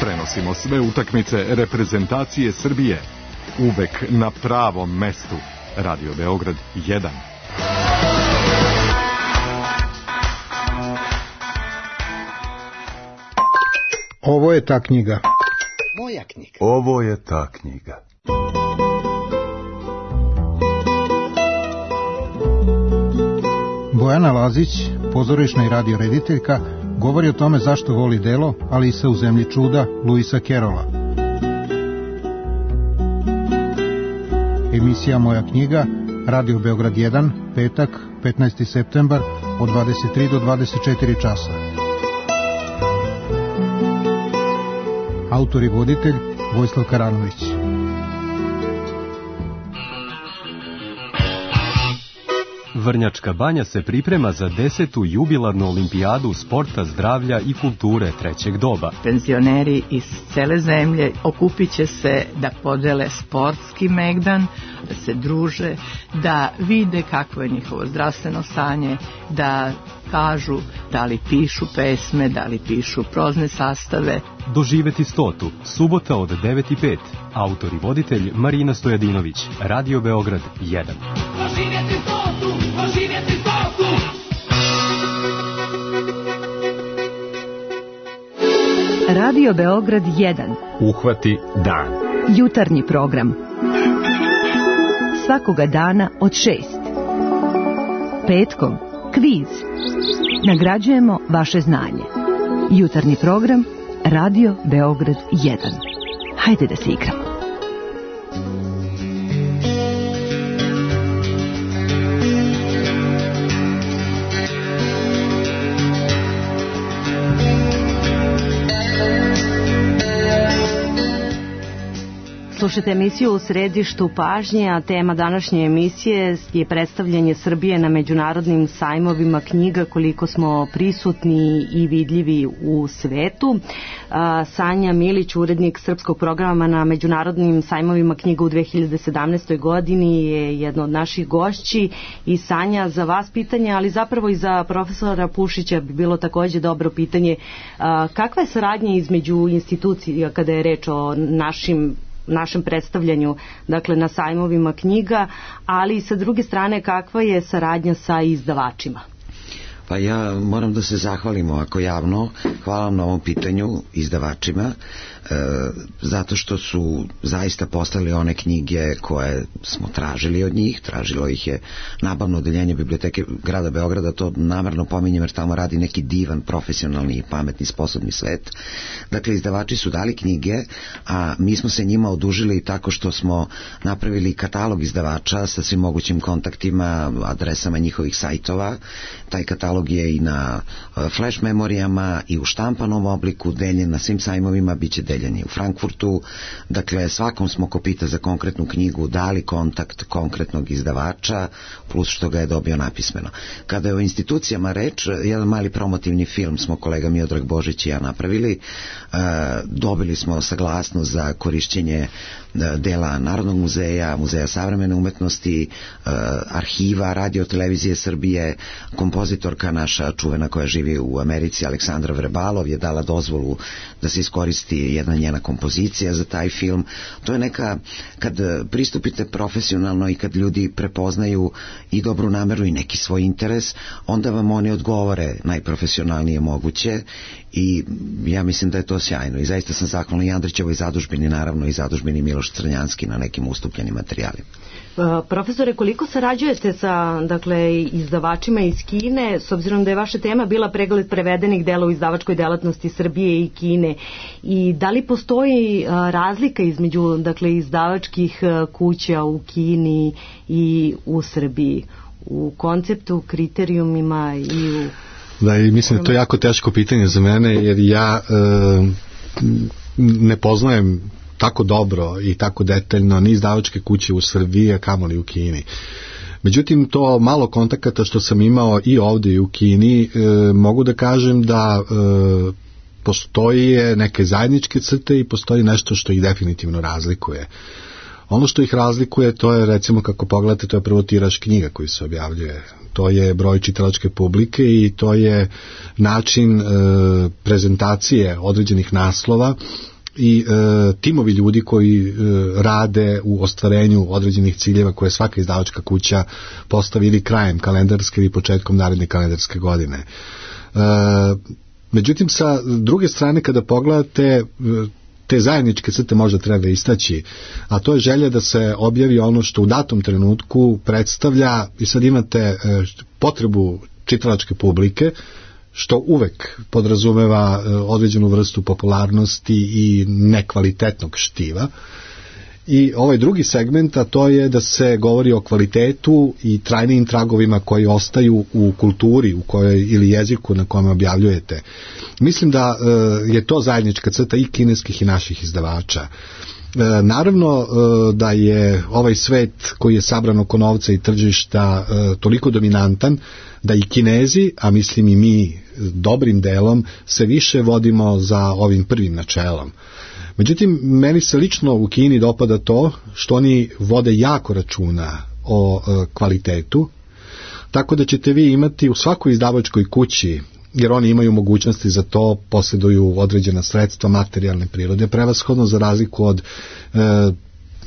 Prenosimo sve utakmice reprezentacije Srbije. Uvek na pravom mestu. Radio Beograd 1. Ovo je ta knjiga. Moja knjiga. Ovo je ta knjiga. Bojana Lazić, pozorišna i radio rediteljka, govori o tome zašto voli delo Alisa u zemlji čuda Luisa Kerola. Emisija Moja knjiga, Radio Beograd 1, petak, 15. septembar, od 23 do 24 časa. Autor i voditelj Vojislav Karanović. Vrnjačka banja se priprema za 10. jubilarnu olimpijadu sporta, zdravlja i kulture trećeg doba. Penzioneri iz cele zemlje okupit će se da podele sportski megdan, da se druže, da vide kakvo je njihovo zdravstveno stanje, da kažu da li pišu pesme, da li pišu prozne sastave. Doživeti 100. subota od 9:05. Autor i voditelj Marina Stojadinović. Radio Beograd 1. Doživjeti 100. Doživjeti 100. Radio Beograd 1. Uhvati dan. Jutarnji program. Svakoga dana od 6. Petkom kviz. Nagrađujemo vaše znanje. Jutarnji program Radio Beograd 1. Hajde da se igramo. Slušajte emisiju U središtu pažnje, a tema današnje emisije je predstavljanje Srbije na međunarodnim sajmovima knjiga, koliko smo prisutni i vidljivi u svetu. Sanja Milić, urednik srpskog programa na međunarodnim sajmovima knjiga u 2017. godini, je jedna od naših gošći. I Sanja, za vas pitanje, ali zapravo i za profesora Pušića bi bilo takođe dobro pitanje. Kakva je saradnja između institucija kada je reč o našem predstavljanju, dakle na sajmovima knjiga, ali i sa druge strane kakva je saradnja sa izdavačima? Pa ja moram da se zahvalim ovako javno. Hvala vam na ovom pitanju izdavačima, zato što su zaista postavili one knjige koje smo tražili od njih. Tražilo ih je nabavno odeljenje Biblioteke grada Beograda, to namerno pominjem jer tamo radi neki divan, profesionalni i pametni, sposobni svet. Dakle, izdavači su dali knjige, a mi smo se njima odužili tako što smo napravili katalog izdavača sa svim mogućim kontaktima, adresama njihovih sajtova. Taj katalog je i na flash memorijama i u štampanom obliku, deljen na svim sajmovima, bit će deljen i u Frankfurtu. Dakle, svakom smo ko pita za konkretnu knjigu dali kontakt konkretnog izdavača, plus što ga je dobio napismeno. Kada je o institucijama reč, jedan mali promotivni film smo kolega Miodrag Božić i ja napravili. Dobili smo saglasnost za korišćenje dela Narodnog muzeja, Muzeja savremene umetnosti, arhiva Radio televizije Srbije. Kompozitorka naša čuvena koja živi u Americi, Aleksandra Vrebalov, je dala dozvolu da se iskoristi jedna njena kompozicija za taj film. To je neka, kad pristupite profesionalno i kad ljudi prepoznaju i dobru nameru i neki svoj interes, onda vam oni odgovore najprofesionalnije moguće i ja mislim da je to sjajno i zaista sam zahvalna i Andrićevoj zadužbini, naravno i zadužbini Miloš Crnjanski na nekim ustupljenim materijalima. Profesore, koliko sarađujete sa izdavačima iz Kine, s obzirom da je vaša tema bila pregled prevedenih dela u izdavačkoj delatnosti Srbije i Kine, i da li postoji razlika između izdavačkih kuća u Kini i u Srbiji u konceptu, kriterijumima i u... Da, i mislim da to je jako teško pitanje za mene, jer ja ne poznajem tako dobro i tako detaljno ni izdavačke kuće u Srbiji, a kamoli u Kini. Međutim, to malo kontakata što sam imao i ovdje i u Kini, mogu da kažem da postoji neke zajedničke crte i postoji nešto što ih definitivno razlikuje. Ono što ih razlikuje, to je, recimo, kako pogledate, to je prvo tiraž knjiga koji se objavljuje. To je broj čitalačke publike i to je način prezentacije određenih naslova i timovi ljudi koji rade u ostvarenju određenih ciljeva koje svaka izdavačka kuća postavi ili krajem kalendarske ili početkom naredne kalendarske godine. Međutim, sa druge strane, kada pogledate, te zajedničke crte možda treba istaći, a to je želja da se objavi ono što u datom trenutku predstavlja, i sad imate potrebu čitalačke publike, što uvek podrazumeva određenu vrstu popularnosti i nekvalitetnog štiva. I ovaj drugi segment, a to je da se govori o kvalitetu i trajnim tragovima koji ostaju u kulturi u kojoj, ili jeziku na kojem objavljujete. Mislim da je to zajednička crta i kineskih i naših izdavača. Naravno da je ovaj svet koji je sabran oko novca i tržišta toliko dominantan da i Kinezi, a mislim i mi dobrim delom, se više vodimo za ovim prvim načelom. Međutim, meni se lično u Kini dopada to što oni vode jako računa o kvalitetu, tako da ćete vi imati u svakoj izdavačkoj kući, jer oni imaju mogućnosti za to, posjeduju određena sredstva materijalne prirode, prevashodno za razliku od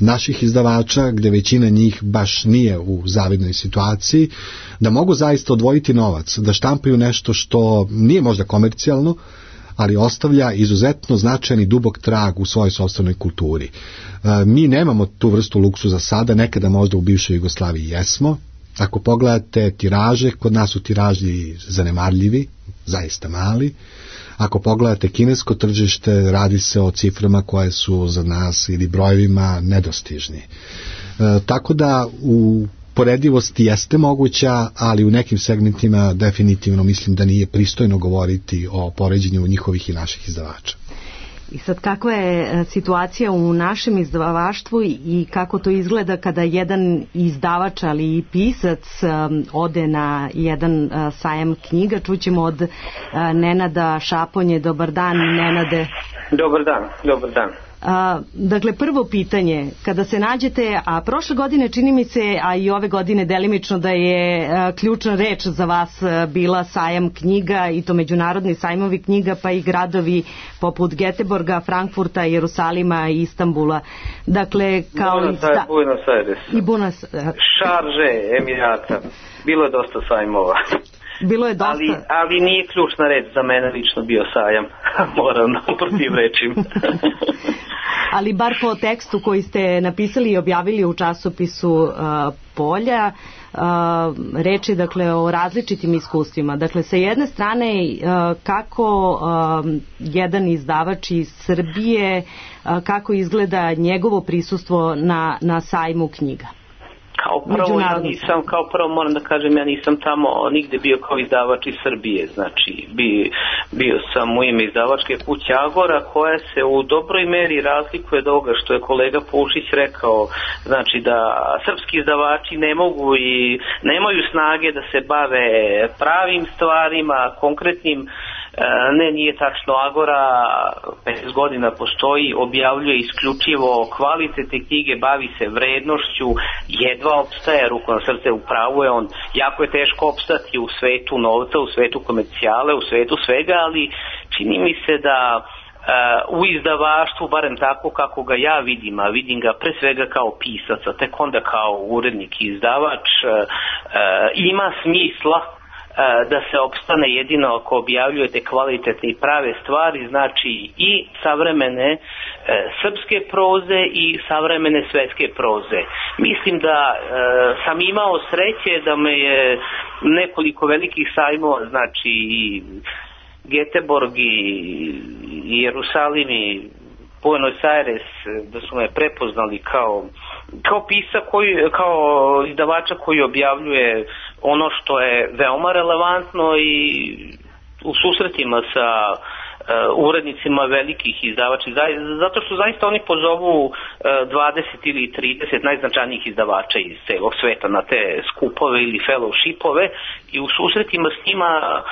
naših izdavača, gdje većina njih baš nije u zavidnoj situaciji, da mogu zaista odvojiti novac, da štampaju nešto što nije možda komercijalno, ali ostavlja izuzetno značajan i dubok trag u svojoj sopstvenoj kulturi. Mi nemamo tu vrstu luksuza sada, nekada možda u bivšoj Jugoslaviji jesmo. Ako pogledate tiraže, kod nas su tiraži zanemarljivi, zaista mali. Ako pogledate kinesko tržište, radi se o ciframa koje su za nas ili brojevima nedostižni. Tako da u poredivosti jeste moguća, ali u nekim segmentima definitivno mislim da nije pristojno govoriti o poređenju njihovih i naših izdavača. I sad, kakva je situacija u našem izdavaštvu i kako to izgleda kada jedan izdavač, ali i pisac ode na jedan sajam knjiga? Čućemo od Nenada Šaponje. Dobar dan, Nenade. Dobar dan. Dakle, prvo pitanje, kada se nađete, a prošle godine čini mi se, a i ove godine delimično, da je ključna reč za vas bila sajam knjiga, i to međunarodni sajmovi knjiga, pa i gradovi poput Geteborga, Frankfurta, Jerusalima i Istanbula. Dakle, kao Buenos Aires. I Šarže, Emirata. Bilo je dosta sajmova. Bilo je dosta. Ali nije ključna reč za mene lično bio sajam. Moram protivrečim. Ali bar po tekstu koji ste napisali i objavili u časopisu Polja, reč je dakle o različitim iskustvima. Dakle, sa jedne strane kako jedan izdavač iz Srbije, kako izgleda njegovo prisustvo na sajmu knjiga. Kao prvo moram da kažem, ja nisam tamo nigde bio kao izdavač iz Srbije, znači bio sam u ime izdavačke kuće Agora, koja se u dobroj meri razlikuje od ovoga što je kolega Pušić rekao, znači da srpski izdavači ne mogu i nemaju snage da se bave pravim stvarima, konkretnim. Ne, nije tačno. Agora 15 godina postoji, objavljuje isključivo kvalitetne knjige, bavi se vrednošću, jedva opstaje, ruku na srce, u pravu je on. Jako je teško opstati u svetu novca, u svetu komercijale, u svetu svega, ali čini mi se da u izdavaštvu, barem tako kako ga ja vidim, a vidim ga pre svega kao pisac, a tek onda kao urednik i izdavač, ima smisla da se opstane jedino ako objavljujete kvalitetne i prave stvari, znači i savremene srpske proze i savremene svetske proze. Mislim da sam imao sreće da me je nekoliko velikih sajmova, znači i Göteborg i Jerusalim i Buenos Aires, da su me prepoznali kao pisa kao izdavača koji objavljuje ono što je veoma relevantno i u susretima sa urednicima velikih izdavača, zato što zaista oni pozovu 20 ili 30 najznačajnijih izdavača iz celog sveta na te skupove ili fellowshipove i u susretima s njima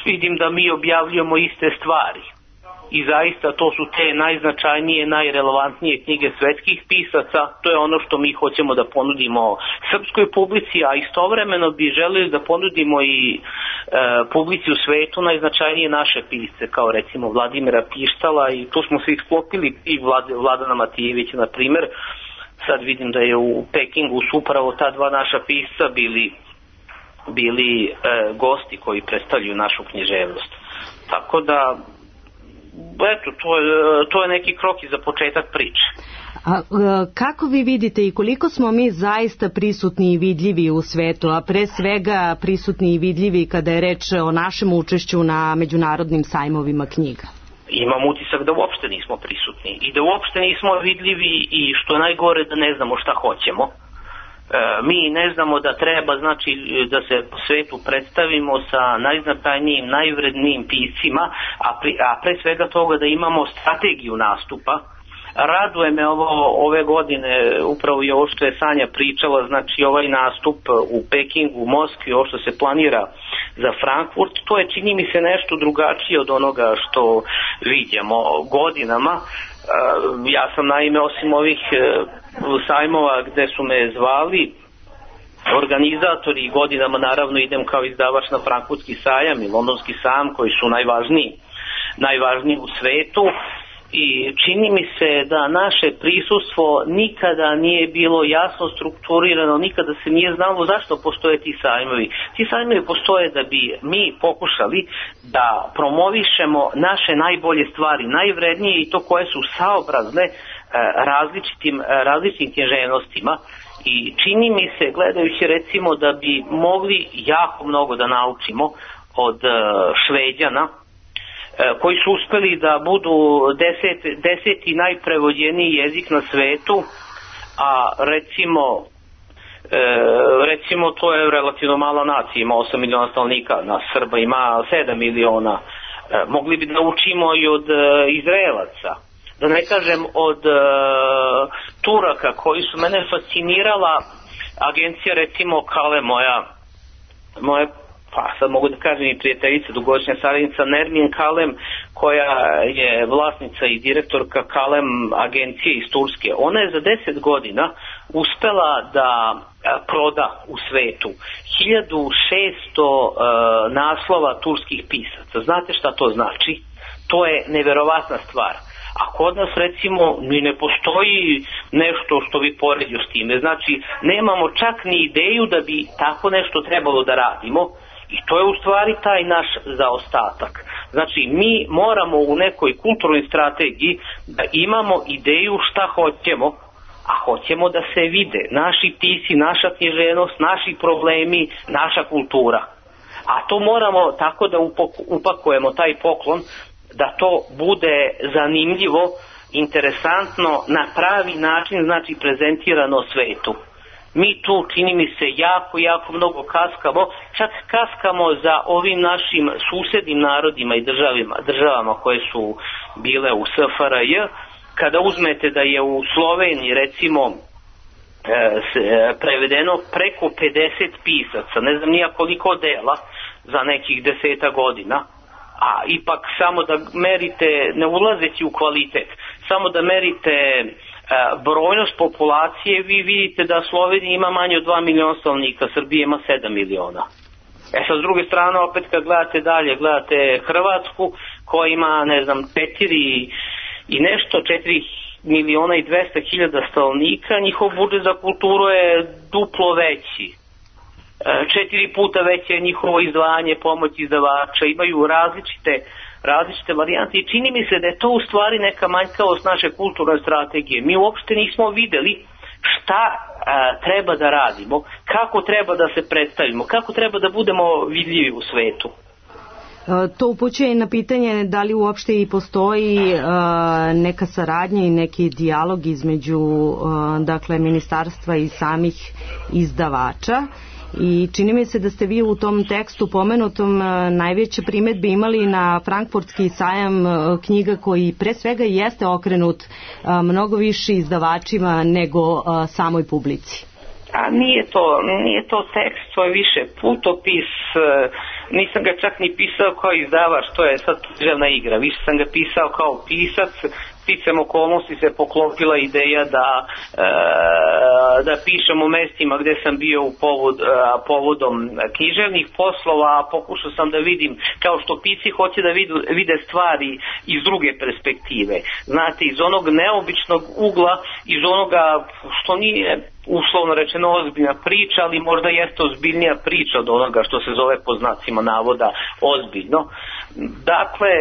vidim da mi objavljujemo iste stvari. I zaista to su te najznačajnije, najrelevantnije knjige svetskih pisaca, to je ono što mi hoćemo da ponudimo srpskoj publici, a istovremeno bi želeli da ponudimo i publici u svetu najznačajnije naše pisce, kao recimo Vladimira Pištala, i tu smo se isklopili i Vladana Matijevića, na primer. Sad vidim da je u Pekingu su upravo ta dva naša pisca bili gosti koji predstavljaju našu književnost. Tako da eto, to je neki krok i za početak priče. A kako vi vidite i koliko smo mi zaista prisutni i vidljivi u svetu, a pre svega prisutni i vidljivi kada je reč o našem učešću na međunarodnim sajmovima knjiga? Imam utisak da uopšte nismo prisutni i da uopšte nismo vidljivi i što je najgore da ne znamo šta hoćemo. Mi ne znamo da treba, znači, da se po svetu predstavimo sa najznačajnijim, najvrednijim piscima, a pre svega toga da imamo strategiju nastupa. Raduje me ove godine, upravo i ovo što je Sanja pričala, znači ovaj nastup u Pekingu, u Moskvi, ovo što se planira za Frankfurt, to je, čini mi se, nešto drugačije od onoga što vidimo godinama. Ja sam naime, osim ovih sajmova gde su me zvali organizatori, godinama naravno idem kao izdavač na Frankfurtski sajam i Londonski sajam, koji su najvažniji u svetu, i čini mi se da naše prisustvo nikada nije bilo jasno strukturirano, nikada se nije znalo zašto postoje ti sajmovi. Ti sajmovi postoje da bi mi pokušali da promovišemo naše najbolje stvari, najvrednije, i to koje su saobrazne različitim književnostima. I čini mi se, gledajući recimo, da bi mogli jako mnogo da naučimo od Šveđana, koji su uspeli da budu deseti najprevođeniji jezik na svetu, a recimo to je relativno mala nacija, ima 8 miliona stanovnika, na Srba ima 7 miliona. Mogli bi da naučimo i od Izraelaca, da ne kažem od Turaka, koji su mene fascinirala. Agencija recimo Kale, moja pa sad mogu da kažem i prijateljica, dugogodišnja saradnica Nermin Kalem, koja je vlasnica i direktorka Kalem agencije iz Turske. Ona je za 10 godina uspela da proda u svetu 1600 naslova turskih pisaca. Znate šta to znači? To je neverovatna stvar. A kod nas recimo ni ne postoji nešto što bi poredio s time. Znači nemamo čak ni ideju da bi tako nešto trebalo da radimo. I to je u stvari taj naš zaostatak. Znači, mi moramo u nekoj kulturnoj strategiji da imamo ideju šta hoćemo, a hoćemo da se vide naši pisci, naša književnost, naši problemi, naša kultura. A to moramo tako da upakujemo taj poklon da to bude zanimljivo, interesantno, na pravi način, znači prezentirano svetu. Mi tu, čini mi se, jako mnogo kaskamo, čak kaskamo za ovim našim susednim narodima i državama koje su bile u SFRJ. Kada uzmete da je u Sloveniji, recimo, prevedeno preko 50 pisaca, ne znam nija koliko dela za nekih 10 godina, a ipak samo da merite, ne ulazeći u kvalitet, samo da merite brojnost populacije, vi vidite da Slovenija ima manje od 2 miliona stanovnika, Srbija ima 7 miliona. Sa s druge strane, opet kad gledate dalje, gledate Hrvatsku koja ima, ne znam, 4 miliona i 200 hiljada stanovnika, njihov budžet za kulturu je duplo veći. 4 puta veće je njihovo izdvajanje, pomoć izdavača, imaju različite varijante i čini mi se da je to u stvari neka manjkavost naše kulturne strategije. Mi uopšte nismo videli šta treba da radimo, kako treba da se predstavimo, kako treba da budemo vidljivi u svetu. To upućuje na pitanje da li uopšte i postoji neka saradnja i neki dijalog između dakle ministarstva i samih izdavača. I čini mi se da ste vi u tom tekstu pomenutom najveće primedbe imali na Frankfurtski sajam knjiga koji pre svega jeste okrenut mnogo više izdavačima nego samoj publici. A nije to tekst, to je više putopis, nisam ga čak ni pisao kao izdavač, to je sad književna igra, više sam ga pisao kao pisac, sticam okolnosti se poklopila ideja da pišem u mestima gde sam bio povodom književnih poslova, a pokušao sam da vidim, kao što pisci hoće da vide stvari iz druge perspektive. Znate, iz onog neobičnog ugla, iz onoga što nije uslovno rečeno ozbiljna priča, ali možda jeste ozbiljnija priča od onoga što se zove po znacima navoda ozbiljno. Dakle,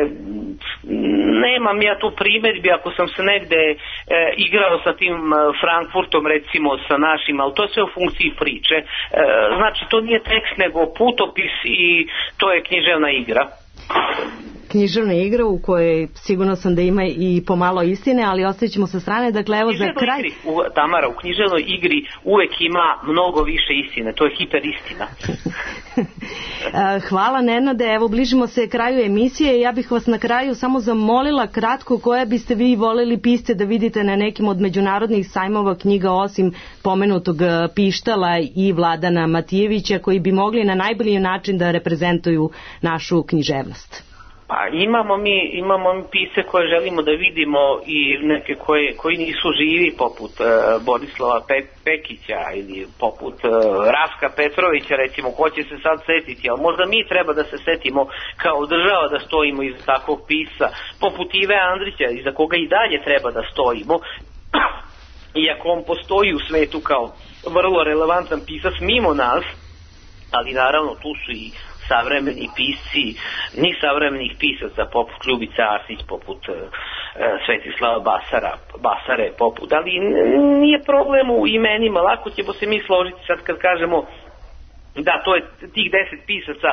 nemam ja tu primjedbi ako sam se negde igrao sa tim Frankfurtom, recimo sa našim, ali to je sve u funkciji priče. Znači, to nije tekst nego putopis i to je književna igra. Književna igra u kojoj sigurno sam da ima i pomalo istine, ali ostavit ćemo sa strane. Dakle, evo za kraj... Tamara, u književnoj igri uvek ima mnogo više istine, to je hiperistina. Hvala Nenade, evo bližimo se kraju emisije. Ja bih vas na kraju samo zamolila kratko koje biste vi voleli pisce da vidite na nekim od međunarodnih sajmova knjiga osim pomenutog Pištala i Vladana Matijevića koji bi mogli na najbolji način da reprezentuju našu književnost. Pa imamo mi pisce koje želimo da vidimo i neke koji nisu živi poput Borislava Pekića ili poput Raska Petrovića, recimo, ko će se sad setiti, ali možda mi treba da se setimo kao država da stojimo iza takvog pisca, poput Ive Andrića iza koga i dalje treba da stojimo, iako on postoji u svetu kao vrlo relevantan pisac mimo nas, ali naravno tu su i savremeni pisci, ni savremenih pisaca poput Ljubice Arsić, poput Svetislava Basare, poput, ali nije problem u imenima, lako ćemo se mi složiti sad kad kažemo da to je tih 10 pisaca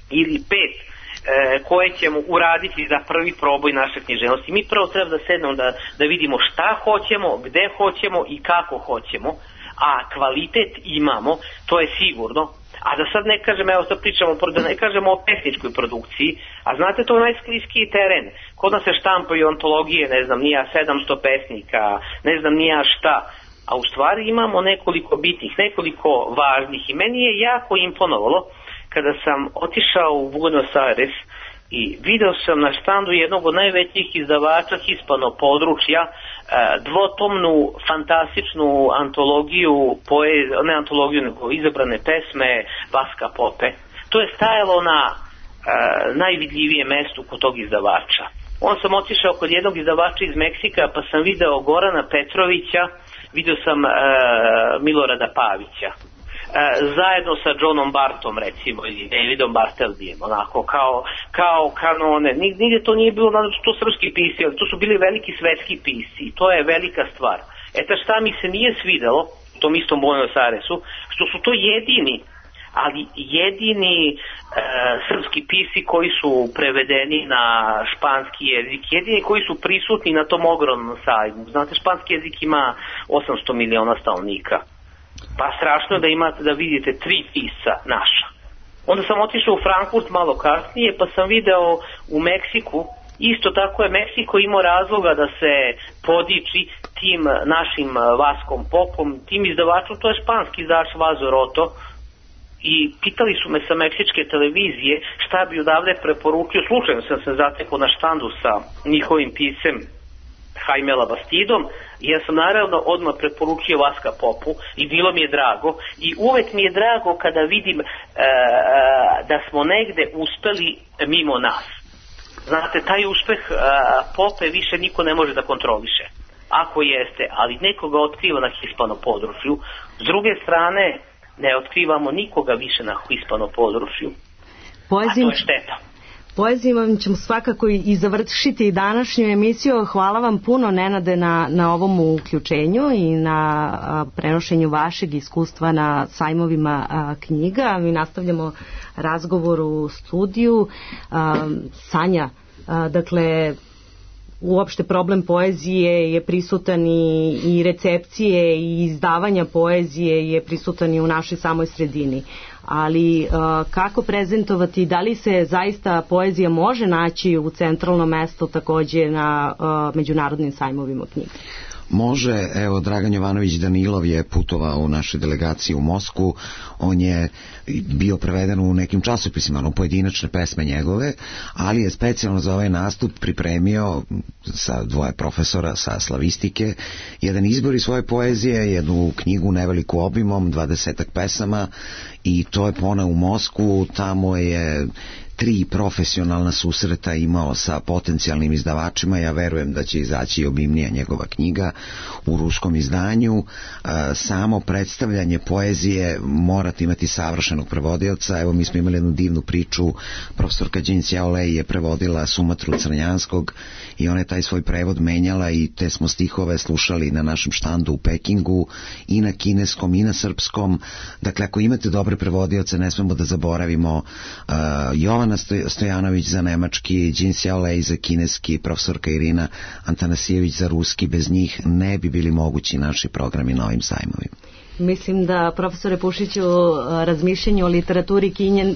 ili 5 koje ćemo uraditi za prvi proboj naše književnosti. Mi prvo treba da sednemo da vidimo šta hoćemo, gde hoćemo i kako hoćemo, a kvalitet imamo, to je sigurno. A da sad ne kažem, evo sad pričamo, da ne kažemo o pesničkoj produkciji, a znate, to je najskliskiji teren. Kod nas se štampaju antologije, ne znam, nija 700 pesnika, ne znam nija šta, a u stvari imamo nekoliko bitnih, nekoliko važnih i meni je jako imponovalo kada sam otišao u Buenos Aires i video sam na štandu jednog od najvećih izdavača hispano područja dvotomnu fantastičnu antologiju, ne antologiju nego izabrane pesme Vaska Pope. To je stajalo na najvidljivijem mestu kod tog izdavača. On sam otišao kod jednog izdavača iz Meksika pa sam video Gorana Petrovića, video sam Milorada Pavića. zajedno sa Johnom Bartom recimo ili Davidom Bartelbijem, onako kao kanone. Nigde to nije bilo, naravno su to srpski pisci, ali to su bili veliki svetski pisci i to je velika stvar. Eto šta mi se nije svidelo u tom istom Buenos Airesu, što su to jedini srpski pisci koji su prevedeni na španski jezik, jedini koji su prisutni na tom ogromnom sajmu. Znate, španski jezik ima 800 miliona stanovnika. Pa strašno je da imate, da vidite 3 pisca naša. Onda sam otišao u Frankfurt malo kasnije, pa sam video u Meksiku, isto tako je Meksiko imao razloga da se podiči tim našim Vaskom Popom, tim izdavačom, to je španski izdavač Vazo Roto, i pitali su me sa meksičke televizije šta bi odavde preporučio. Slučajno sam se zatekao na štandu sa njihovim piscem Jaime Labastidom i ja sam naravno odmah preporučio Vaska Popu i bilo mi je drago i uvek mi je drago kada vidim da smo negde uspeli mimo nas. Znate, taj uspeh Pope više niko ne može da kontroliše. Ako jeste, ali nekoga otkriva na hispano području. S druge strane, ne otkrivamo nikoga više na hispano području. A to je šteta. Poezijom ćemo svakako i završiti današnju emisiju. Hvala vam puno, Nenade, na ovom uključenju i na prenošenju vašeg iskustva na sajmovima knjiga. Mi nastavljamo razgovor u studiju. Sanja, dakle, uopšte problem poezije je prisutan i recepcije i izdavanja poezije je prisutan i u našoj samoj sredini. Ali kako prezentovati, da li se zaista poezija može naći u centralnom mestu takođe na međunarodnim sajmovima knjiga? Može, evo, Dragan Jovanović Danilov je putovao u našoj delegaciji u Moskvu, on je bio preveden u nekim časopisima, pojedinačne pesme njegove, ali je specijalno za ovaj nastup pripremio sa 2 profesora sa slavistike jedan izbor iz svoje poezije, jednu knjigu neveliku obimom, 20 pesama, i to je poneo u Moskvu. Tamo je 3 profesionalna susreta imao sa potencijalnim izdavačima. Ja verujem da će izaći obimnija njegova knjiga u ruskom izdanju. Samo predstavljanje poezije morate imati savršenog prevodioca. Evo, mi smo imali jednu divnu priču, profesorka Jin Xiaolei je prevodila Sumatru Crnjanskog i ona je taj svoj prevod menjala i te smo stihove slušali na našem štandu u Pekingu i na kineskom i na srpskom. Dakle, ako imate dobre prevodioce, ne smemo da zaboravimo Jovana Stojanović za nemački, Jin Xiaolei za kineski, profesorka Irina Antanasijević za ruski. Bez njih ne bi bili mogući naši programi na ovim sajmovima. Mislim da, profesore Pušiću, razmišljanje o literaturi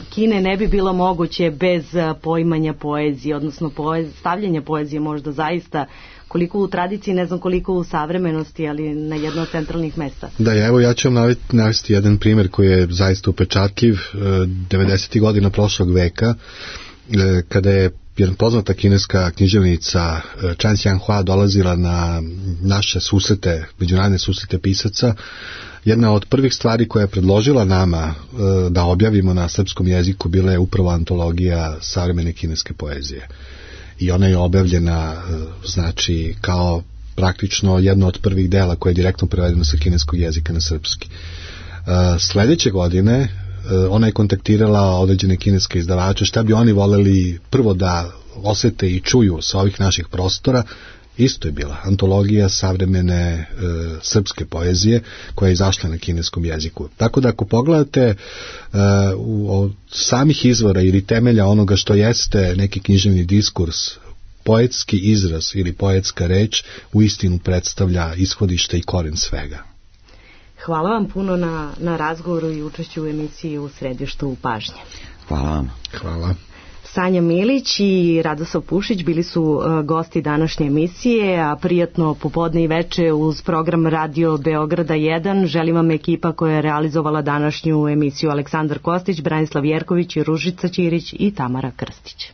Kine ne bi bilo moguće bez poimanja poezije, odnosno stavljanja poezije možda zaista koliko u tradiciji, ne znam koliko u savremenosti, ali na jedno od centralnih mesta. Da, evo ja ću vam navesti jedan primjer koji je zaista upečatljiv. 90. godina prošlog veka, kada je jedna poznata kineska književnica Chan Xianghua dolazila na naše susrete, međunarodne susrete pisaca, jedna od prvih stvari koja je predložila nama da objavimo na srpskom jeziku bila je upravo antologija savremene kineske poezije. I ona je objavljena, znači, kao praktično jedno od prvih dela koje je direktno prevedeno sa kineskog jezika na srpski. Sljedeće godine ona je kontaktirala određene kineske izdavače šta bi oni voleli prvo da osete i čuju sa ovih naših prostora. Isto je bila antologija savremene srpske poezije koja je izašla na kineskom jeziku. Tako da ako pogledate od samih izvora ili temelja onoga što jeste neki književni diskurs, poetski izraz ili poetska reč uistinu predstavlja ishodište i koren svega. Hvala vam puno na razgovoru i učešću u emisiji U središtu pažnje. Hvala vam. Hvala. Sanja Milić i Radoslav Pušić bili su gosti današnje emisije, a prijatno popodne i veče uz program Radio Beograda 1 želim vam ekipa koja je realizovala današnju emisiju: Aleksandar Kostić, Branislav Jerković, Ružica Ćirić i Tamara Krstić.